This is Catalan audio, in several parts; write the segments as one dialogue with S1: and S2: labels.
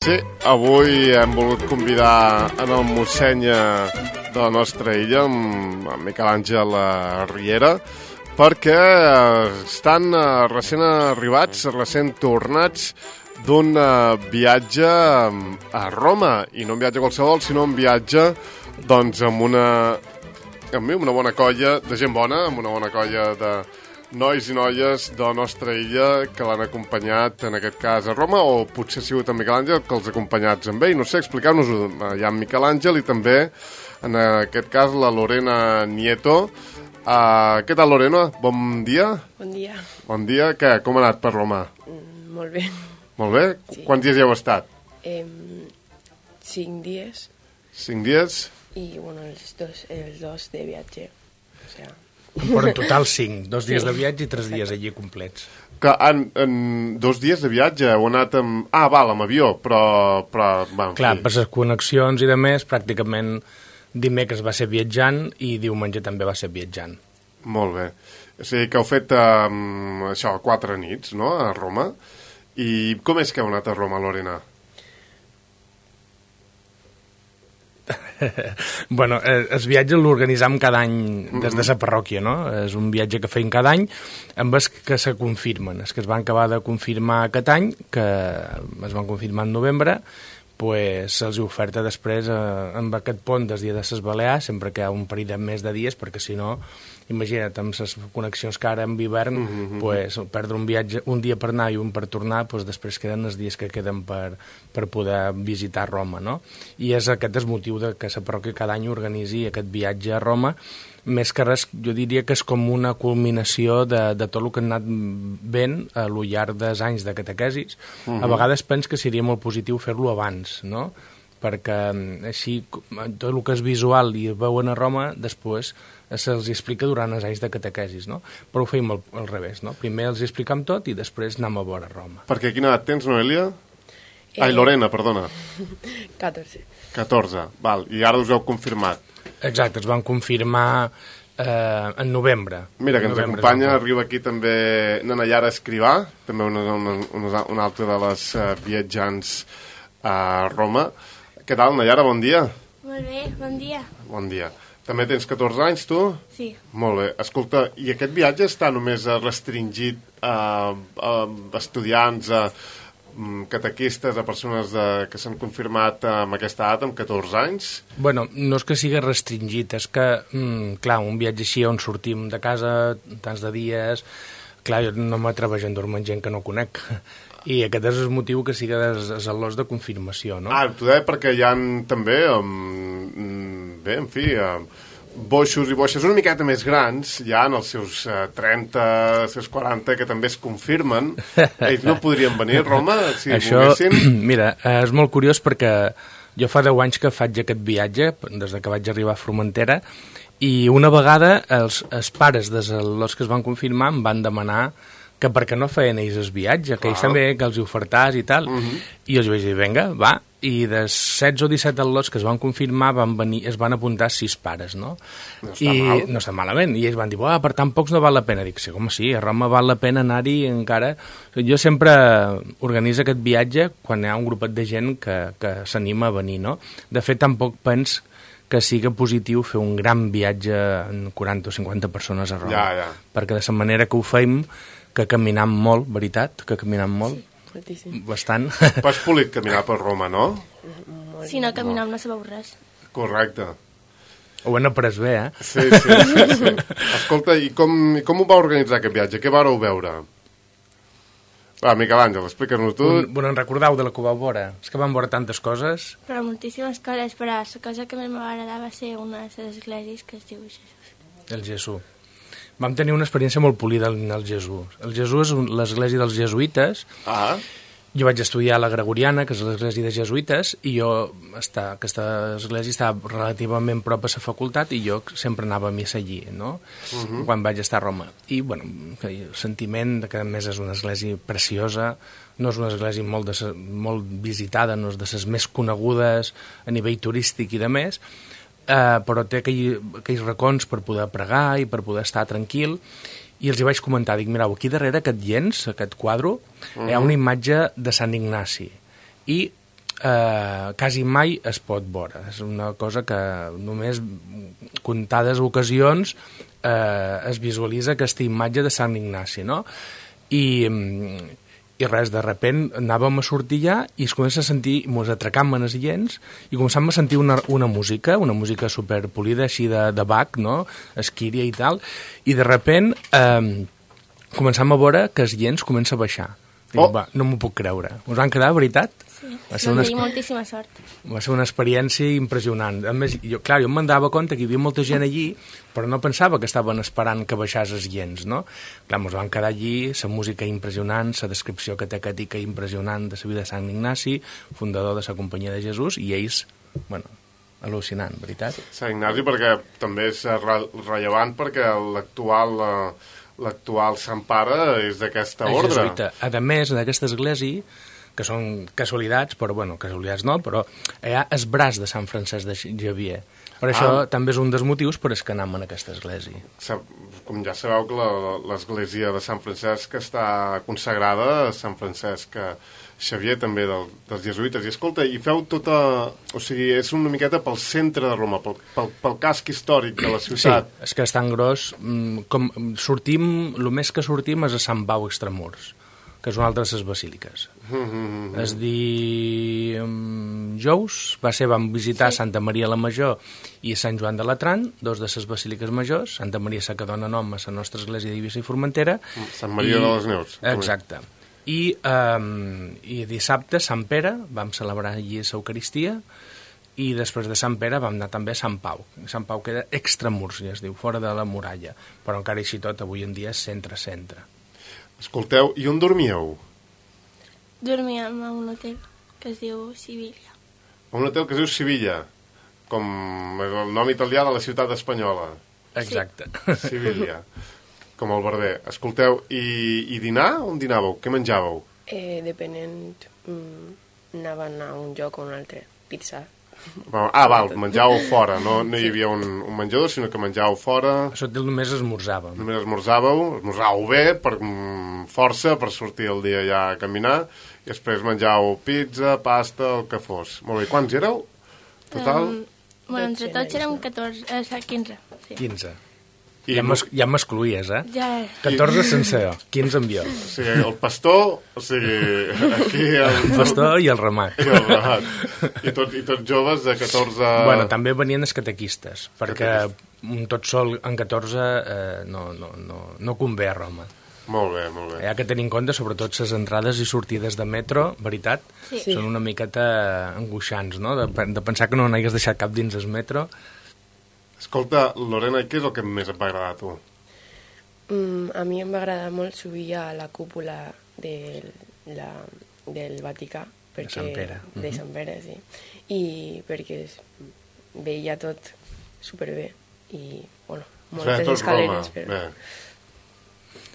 S1: Sí, avui hem volgut convidar en el mossèn de la nostra illa, en Miquel Àngel Riera, perquè estan recent arribats, recent tornats d'un viatge a Roma, i no un viatge qualsevol, sinó un viatge doncs, amb una bona colla de gent bona, amb una bona colla de nois i noies de la nostra illa que l'han acompanyat, en aquest cas, a Roma, o potser ha sigut en Miquel Àngel que els ha acompanyats amb ell. No sé, explicar-nos-ho. Hi ha en Miquel Àngel i també, en aquest cas, la Lorena Nieto. Què tal, Lorena? Bon dia.
S2: Bon dia.
S1: Bon dia. Què? Com ha anat per Roma?
S2: Molt bé.
S1: Molt bé? Sí. Quants dies hi heu estat?
S2: 5 dies.
S1: 5 dies?
S2: I, bueno, els dos de viatge. O sea...
S3: Però en total 5, 2 dies de viatge i 3 dies allí complets.
S1: Que en 2 dies de viatge heu anat amb... amb avió, però
S3: clar, per les connexions i de més, pràcticament dimecres va ser viatjant i diumenge també va ser viatjant.
S1: Molt bé. O sigui que heu fet això, 4 nits, no?, a Roma. I com és que heu anat a Roma, Lorena?
S3: Bueno, el viatge l'organitzam cada any des de la parròquia, no? És un viatge que feim cada any amb els que se confirmen. Els que es van acabar de confirmar aquest any, que es van confirmar en novembre, pues se'ls oferta després amb aquest pont des dia de les Balears, sempre que hi ha un parell de més de dies, perquè si no, imagina't, amb les connexions que ara en hivern, pues, perdre un viatge, un dia per anar i un per tornar, pues, després queden els dies que queden per poder visitar Roma, no? I aquest és el motiu de que la parròquia cada any organitzi aquest viatge a Roma. Més que res, jo diria que és com una culminació de tot el que han anat ben a lo llarg dels anys de catequesis. A vegades penso que seria molt positiu fer-lo abans, no? Perquè així tot el que és visual i veuen a Roma, després se'ls explica durant els anys de catequesis, no? Però ho feim al revés, no? Primer els explicam tot i després anem a veure Roma.
S1: Perquè quina edat tens, Noelia? Ai, Lorena, perdona.
S2: 14.
S1: 14, val. I ara us heu confirmat.
S3: Exacte, es van confirmar en novembre.
S1: Mira, que ens acompanya, arriba aquí també Nana Llara Escrivà, també una altra de les viatjants a Roma. Què tal, Nana Llara? Bon dia.
S4: Molt bé, bon dia.
S1: Bon dia. També tens 14 anys, tu?
S4: Sí.
S1: Molt bé. Escolta, i aquest viatge està només restringit a estudiants, a catequistes, a persones que s'han confirmat amb aquesta edat, amb 14 anys?
S3: Bueno, no és que sigui restringit, és que, clar, un viatge així on sortim de casa tants de dies, clar, jo no m'atreveixo a endormir gent que no conec, i aquest és el motiu que sigui els al·los de confirmació, no?
S1: T'ho deia perquè hi ha també, bé, en fi, boixos i boixes una miqueta més grans, ja en els seus 30, els seus 40, que també es confirmen. Ells no podrien venir a Roma si volguessin?
S3: Mira, és molt curiós perquè jo fa 10 anys que faig aquest viatge, des que vaig arribar a Formentera, i una vegada els pares dels al·los que es van confirmar em van demanar que per què no feien ells el viatge, que ells també, que els ofertàs i tal. I els vaig dir, vinga, va. I de 16 o 17 al·los que es van confirmar es van apuntar 6 pares, no?
S1: No està mal.
S3: No està malament. I ells van dir, per tan pocs no val la pena. Dic, sí, com sí, a Roma val la pena anar-hi encara. Jo sempre organitzo aquest viatge quan hi ha un grupet de gent que s'anima a venir, no? De fet, tampoc penso que sigui positiu fer un gran viatge en 40 o 50 persones a Roma.
S1: Ja.
S3: Perquè de la manera que ho feim, que caminam molt, veritat, que caminam molt.
S2: Sí, moltíssim.
S3: Bastant.
S1: Pas polit caminar per Roma, no?
S4: Si no caminam no sabeu res.
S1: Correcte.
S3: Ho han après bé, eh?
S1: Sí. Escolta, i com ho va organitzar aquest viatge? Què vareu veure? Va, Miquel Àngel, explica-nos tu.
S3: Bueno, en recordeu de la que vau veure? És que vam veure tantes coses.
S4: Però moltíssimes coses, però la cosa que més m'agradava va ser una de les esglésies que es diu Jesús.
S3: El Jesús. Vam tenir una experiència molt polida en el Jesús. El Jesús és l'església dels jesuïtes. Jo vaig estudiar a la Gregoriana, que és l'església de jesuïtes, i aquesta església estava relativament prop a la facultat i jo sempre anava a missa allí, no? Quan vaig estar a Roma. I, bueno, el sentiment que a més és una església preciosa, no és una església molt visitada, no és de les més conegudes a nivell turístic i de més, però té aquells racons per poder pregar i per poder estar tranquil, i els hi vaig comentar, dic, mireu, aquí darrere aquest llenç, aquest quadre, hi ha una imatge de Sant Ignasi, i quasi mai es pot veure. És una cosa que només comptades ocasions es visualitza aquesta imatge de Sant Ignasi, no? I res, de repent anàvem a sortir ja i es comença a sentir, mos atracam en els gens i començam a sentir una música superpolida així de Bach, no? Esquíria i tal, i de repent començam a veure que els gens comença a baixar. Dic, va, no m'ho puc creure. Us van quedar, veritat?
S4: Sí, vam tenir moltíssima sort.
S3: Va ser una experiència impressionant. A més, jo em dava compte que hi havia molta gent allí, però no pensava que estaven esperant que baixàs els gens, no? Clar, ens van quedar allí, la música impressionant, la descripció catecètica impressionant de la vida de Sant Ignasi, fundador de la Companyia de Jesús, i ells, bueno, al·lucinant, veritat?
S1: Sant Ignasi perquè també és rellevant perquè l'actual Sant Pare és d'aquesta ordre.
S3: Jesuïta. A més, en aquesta església, que són casualitats, però, bueno, casualitats no, però hi ha el braç de Sant Francesc de Xavier. Per això també és un dels motius per els que anem en aquesta església.
S1: Com ja sabeu que l'església de Sant Francesc està consagrada a Sant Francesc Xavier, també dels jesuïtes. I escolta, i feu tota... O sigui, és una miqueta pel centre de Roma, pel casc històric de la ciutat.
S3: Sí, és que és tan gros. El més que sortim és a Sant Pau Extramurs, que és una altra de les basíliques. Es dijous vam visitar Santa Maria la Major i Sant Joan de Latran, dos de les basíliques majors, Santa Maria que dona nom a la nostra església d'Eivissa i Formentera.
S1: Sant Maria de les Neus.
S3: Exacte. I dissabte, Sant Pere, vam celebrar allí l'Eucaristia, i després de Sant Pere vam anar també a Sant Pau. Sant Pau queda extramurs, ja es diu, fora de la muralla, però encara així tot, avui en dia és centre-centre.
S1: Escolteu, i on dormíeu?
S4: Dormíem a un hotel que es diu Sibilla.
S1: Un hotel que es diu Sibilla, com el nom italià de la ciutat espanyola.
S3: Exacte.
S1: Sí. Sibilla, com el Barber. Escolteu, i dinar? On dinàveu? Què menjàveu?
S2: Depenent, anaven a un lloc o un altre. Pizza.
S1: Menjàveu fora, no hi havia un menjador, sinó que menjàveu fora.
S3: Això només esmorzàvem.
S1: Només esmorzàveu bé, per força, per sortir el dia ja a caminar, i després menjàveu pizza, pasta, el que fos. Molt bé, quants éreu? Total?
S4: Entre tots érem 15. Sí.
S3: 15. Ja m'excluïes, eh?
S4: Ja.
S3: 14 sense, 15 amb jo.
S1: O sigui, el pastor, aquí...
S3: El pastor i el ramat.
S1: I tots joves de 14...
S3: Bueno, també venien els catequistes, perquè tot sol en 14 no convé a Roma.
S1: Molt bé, molt bé.
S3: Hi ha que tenir en compte, sobretot, les entrades i sortides de metro, veritat, són una miqueta angoixants, no? De pensar que no n'hagués deixat cap dins el metro.
S1: Escolta, Lorena, què és el que més et va agradar a tu?
S2: A mi em va agradar molt subir a la cúpula del Vaticà.
S3: De Sant Pere.
S2: De Sant Pere, sí. I perquè veia tot superbé. I, bueno, moltes escaleres. Però...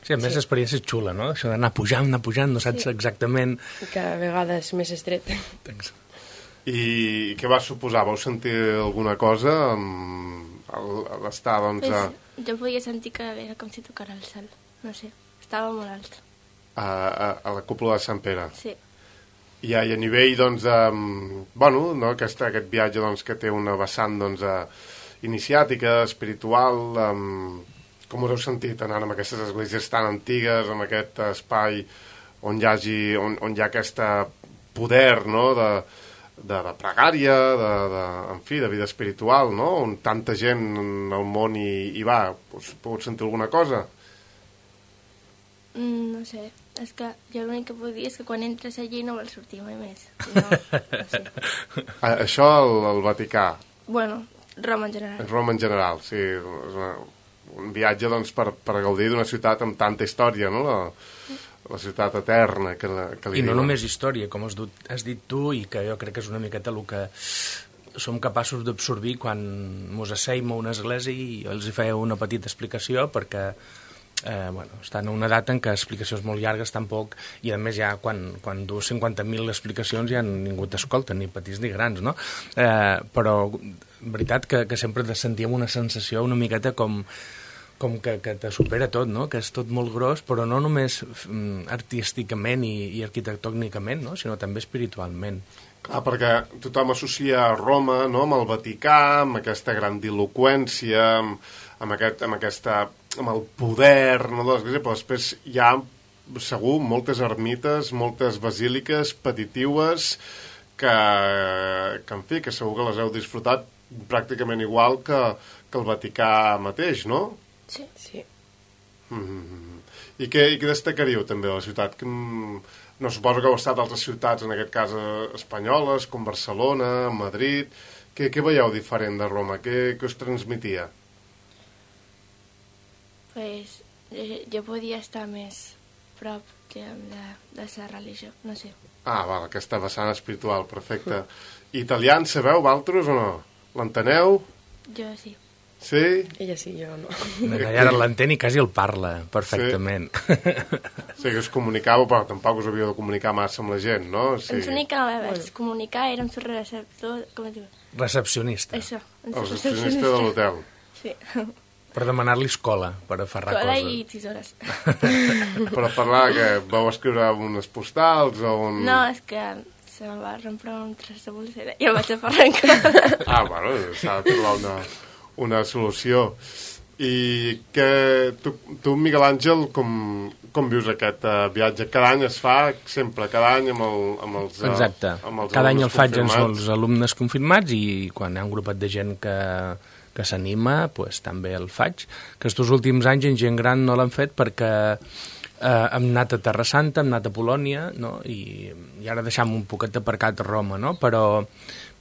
S3: Sí, a més l'experiència és xula, no? Això d'anar pujant, no saps exactament...
S2: Cada vegada és més estret.
S1: I què va suposar? Vau sentir alguna cosa a l'estar, doncs...
S4: Jo podia sentir que era com si tocara el cel. No sé, estava molt alt.
S1: A la cúpula de Sant Pere?
S4: Sí.
S1: I a nivell, doncs, aquest viatge doncs, que té una vessant doncs, iniciàtica, espiritual, com us heu sentit anant amb aquestes esglésies tan antigues, amb aquest espai on hi ha aquest poder, no?, de pregària, de vida espiritual, no?, on tanta gent al món hi va. Us pogut sentir alguna cosa?
S4: No sé, és que jo l'únic que puc dir és que quan entres allí no vols sortir mai més. No sé.
S1: Això al Vaticà?
S4: Bueno, Roma en general.
S1: Roma en general, sí. És un viatge doncs, per gaudir d'una ciutat amb tanta història, no?, la ciutat eterna que li
S3: I no
S1: diuen.
S3: només història, com has dit tu, i que jo crec que és una miqueta el que som capaços d'absorbir quan mos asseim a una església i els hi feia una petita explicació perquè estan a una data en què explicacions molt llargues tampoc, i a més ja quan dues 50.000 explicacions ja ningú t'escolta, ni petits ni grans, no? Però veritat que sempre sentíem una sensació una miqueta com que te supera tot, no? Que és tot molt gros, però no només artísticament i arquitectònicament, no? Sinó també espiritualment.
S1: Clar, perquè tothom associa Roma, no?, amb el Vaticà, amb aquesta grandiloqüència, amb el poder, no?, de l'Església, però després hi ha, segur, moltes ermites, moltes basíliques petitiues que en fi, que segur que les heu disfrutat pràcticament igual que el Vaticà mateix, no?
S2: Sí.
S1: I què destacaríeu també de la ciutat? No, suposo que heu estat a altres ciutats, en aquest cas espanyoles, com Barcelona, Madrid. Què veieu diferent de Roma? Què us transmetia?
S4: Pues jo podia estar més prop de la religió, no sé.
S1: Ah, val, aquesta vessant espiritual, perfecte. Italià en sabeu, vosaltres, o no? L'enteneu?
S4: Jo sí.
S1: Sí?
S2: Ella sí, jo no.
S3: Ara l'entén i quasi el parla perfectament.
S1: Sí, que us comunicàveu, però tampoc us havíeu de comunicar massa amb la gent, no? Sí.
S4: Ens únic que no vam comunicar era amb el receptor, com es diu?
S3: Recepcionista.
S4: Això.
S1: El recepcionista de l'hotel.
S4: Sí.
S3: Per demanar-li escola, per aferrar
S4: Cola
S3: coses.
S4: i tisores.
S1: Per parlar que vau escriure unes postals o un...
S4: No, és que se me va rompre un tros de bolsera i el vaig aferrar.
S1: Ah, bueno, s'ha de trobar una solució. I que tu, Miguel Àngel, com vius aquest viatge? Cada any es fa, sempre, cada any amb els
S3: Exacte.
S1: Amb els
S3: cada any el faig amb
S1: confirmats.
S3: els alumnes confirmats i quan hi ha un grupet de gent que s'anima, pues, també el faig. Aquests últims anys en gent gran no l'han fet perquè hem anat a Terra Santa, hem anat a Polònia, no? I ara deixam un poquet aparcat a Roma, no? Però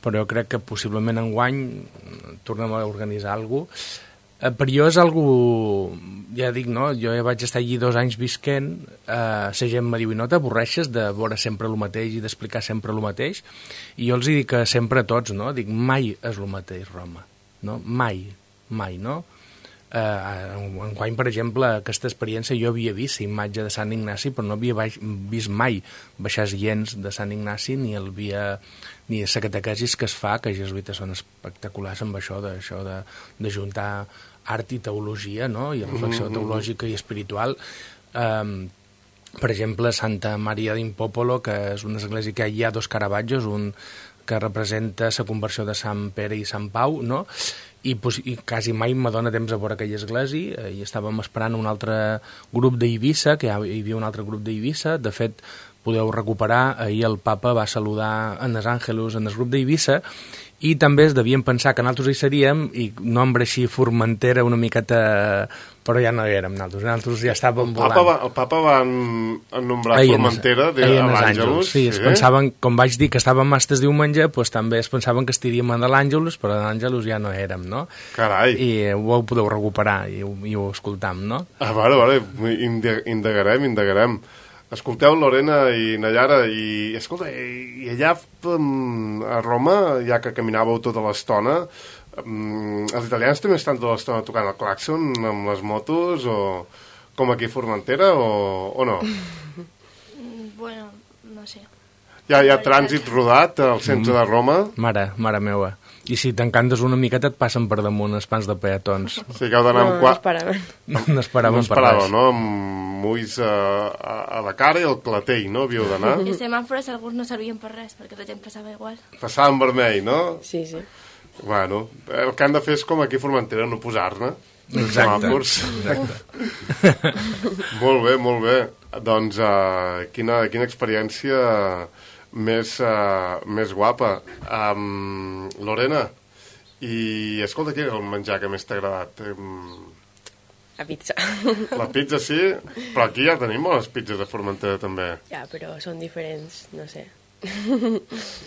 S3: jo crec que possiblement enguany tornem a organitzar alguna cosa. Per jo és algo, ja dic, no? Jo ja vaig estar allí 2 anys visquent, la gent me diu, i no t'avorreixes de veure sempre el mateix i d'explicar sempre el mateix? I jo els dic que sempre a tots, no? Dic, mai és el mateix Roma, no? Mai, no? Enguany, per exemple, aquesta experiència jo havia vist la imatge de Sant Ignaci, però no havia vist mai baixar gens de Sant Ignaci ni la catequesis que es fa, que els jesuïtes són espectaculars amb això de juntar art i teologia, no? I reflexió teològica i espiritual. Per exemple, Santa Maria d'in Popolo, que és una església que hi ha 2 Caravaggios, un que representa la conversió de Sant Pere i Sant Pau, no? I quasi mai me dóna temps a veure aquella església, i estàvem esperant un altre grup d'Eivissa, que hi havia un altre grup d'Eivissa. De fet, podeu recuperar, ahir el papa va saludar en els Àngelus en el grup d'Eivissa, i també es devien pensar que nosaltres hi seríem, i nombre així Formentera una miqueta, però ja no hi érem nosaltres ja estàvem volant.
S1: El papa va ennombrar Formentera a l'Àngelus.
S3: Sí, es pensaven, com vaig dir, que estàvem mastes diumenge, doncs també es pensaven que estiríem a l'Àngelus, però a l'Àngelus ja no érem, no?
S1: Carai!
S3: I ho podeu recuperar i ho escoltam, no?
S1: Ah, vale, indagarem. Escolteu, Lorena i Nayara, i escolta, i allà a Roma, ja que caminàveu tota l'estona, els italians també estan tota l'estona tocant el clàxon amb les motos, o com aquí a Formentera, o no?
S4: Bueno, no sé.
S1: Hi ha trànsit rodat al centre de Roma?
S3: Mare meva. I si t'encantes una miqueta et passen per damunt els pans de peatons.
S1: Sí que heu d'anar amb
S3: No esperàvem per res.
S1: No? Amb ulls a la cara i el clatell, no? Havíeu d'anar.
S4: I els semàfors alguns no servien per res, perquè la gent passava igual.
S1: Passava en vermell, no?
S2: Sí.
S1: Bueno, el que han de fer és com aquí a Formentera, no posar-ne.
S3: Exacte.
S1: Molt bé. Doncs quina experiència més guapa. Lorena, i escolta, què és el menjar que més t'ha agradat?
S2: La pizza.
S1: La pizza sí, però aquí ja tenim bones pizzas a Formentera també.
S2: Ja, però són diferents, no sé.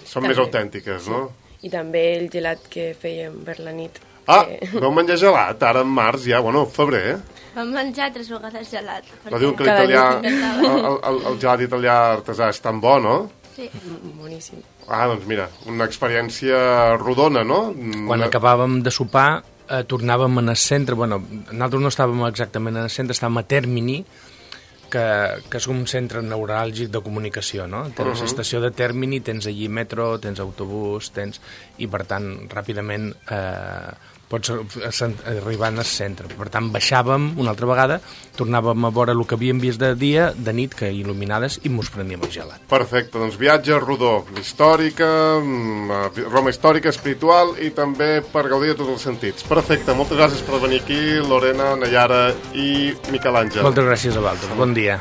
S1: Són més autèntiques, no?
S2: I també el gelat que fèiem per la nit.
S1: Vau menjar gelat, ara en març ja, febrer,
S4: Vam menjar 3 vegades gelat.
S1: Però diuen que el gelat italià artesà és tan bo, no?
S4: Sí.
S2: Boníssim.
S1: Doncs mira, una experiència rodona, no?
S3: Quan acabàvem de sopar, tornàvem en el centre, nosaltres no estàvem exactament en el centre, estàvem a Termini, que és un centre neuràlgic de comunicació, no? Tens estació de Tèrmini, tens allí metro, tens autobús, i per tant, ràpidament pots arribar al centre. Per tant, baixàvem una altra vegada, tornàvem a veure el que havíem vist de dia, de nit, que il·luminades, i mos prendíem el gelat.
S1: Perfecte, doncs viatge rodó, històrica, Roma històrica, espiritual i també per gaudir de tots els sentits. Perfecte, moltes gràcies per venir aquí, Lorena, Nayara i Miquel Àngel.
S3: Moltes gràcies a vosaltres, bon dia.